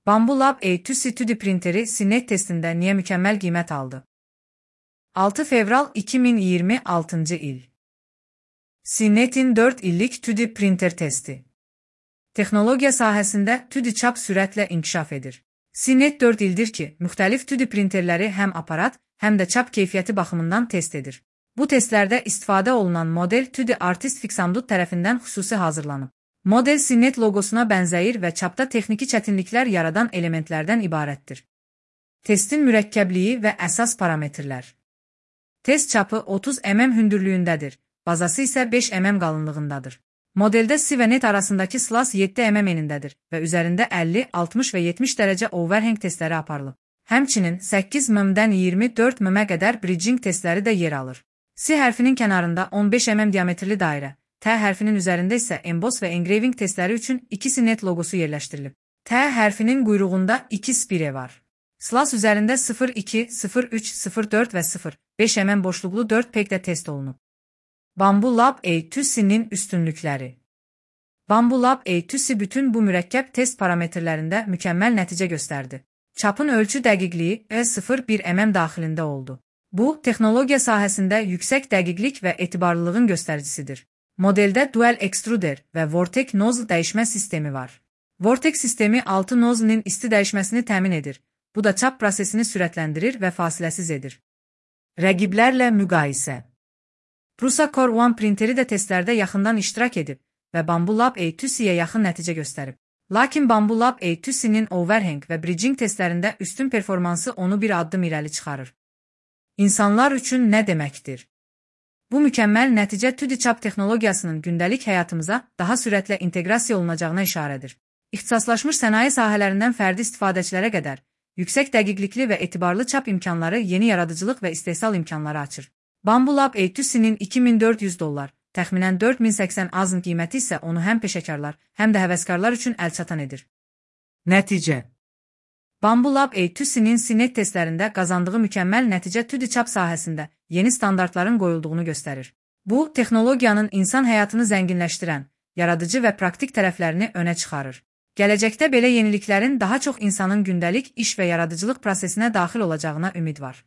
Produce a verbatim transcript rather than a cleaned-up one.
Bambu Lab A iki C iki D printeri Sinet testində niyə mükəmməl qiymət aldı? altı fevral iki min iyirmi altıncı il. Sinet'in dörd illik iki D printer testi. Texnologiya sahəsində iki D çap sürətlə inkişaf edir. Sinet dörd ildir ki, müxtəlif iki D printerləri həm aparat, həm də çap keyfiyyəti baxımından test edir. Bu testlərdə istifadə olunan model iki D Artist Fixamdut tərəfindən xüsusi hazırlanıb. Model Sinet loqosuna bənzəyir və çapda texniki çətinliklər yaradan elementlərdən ibarətdir. Testin mürəkkəbliyi və əsas parametrlər. Test çapı otuz millimetr hündürlüyündədir, bazası isə beş millimetr qalınlığındadır. Modeldə C və net arasındakı slas yeddi millimetr enindədir və üzərində əlli, altmış və yetmiş dərəcə overhang testləri aparılıb. Həmçinin səkkiz millimetrdən iyirmi dörd millimetrə qədər bridging testləri də yer alır. C hərfinin kənarında on beş millimetr diametrli dairə, T hərfinin üzərində isə emboss və engraving testləri üçün iki Sinet loqosu yerləşdirilib. T hərfinin quyruğunda iki spire var. Slas üzərində sıfır iki, sıfır üç, sıfır dörd və sıfır beş millimetr boşluqlu dörd pegdə test olunub. Bambu Lab A iki C'nin üstünlükləri. Bambu Lab A iki C bütün bu mürəkkəb test parametrlərində mükəmməl nəticə göstərdi. Çapın ölçü dəqiqliyi E sıfır bir millimetr daxilində oldu. Bu, texnologiya sahəsində yüksək dəqiqlik və etibarlılığın göstəricisidir. Modeldə dual extruder və Vortex nozzle dəyişmə sistemi var. Vortex sistemi altı nozzle'nin isti dəyişməsini təmin edir. Bu da çap prosesini sürətləndirir və fasiləsiz edir. Rəqiblərlə müqayisə. Prusa Core One printeri də testlərdə yaxından iştirak edib və Bambu Lab A iki C'yə yaxın nəticə göstərib. Lakin Bambu Lab A iki C'nin overhang və bridging testlərində üstün performansı onu bir addım irəli çıxarır. İnsanlar üçün nə deməkdir? Bu mükəmməl nəticə iki D çap texnologiyasının gündəlik həyatımıza daha sürətlə inteqrasiya olunacağına işarədir. İxtisaslaşmış sənaye sahələrindən fərdi istifadəçilərə qədər, yüksək dəqiqlikli və etibarlı çap imkanları yeni yaradıcılıq və istehsal imkanları açır. Bambu Lab A iki C'nin iki min dörd yüz dollar, təxminən dörd min səksən azın qiyməti isə onu həm peşəkarlar, həm də həvəskarlar üçün əlçatan edir. Nəticə. Bambu Lab A iki C'nin Sinet testlərində qazandığı mükəmməl nəticə iki D çap sahəsində yeni standartların qoyulduğunu göstərir. Bu, texnologiyanın insan həyatını zənginləşdirən, yaradıcı və praktik tərəflərini önə çıxarır. Gələcəkdə belə yeniliklərin daha çox insanın gündəlik iş və yaradıcılıq prosesinə daxil olacağına ümid var.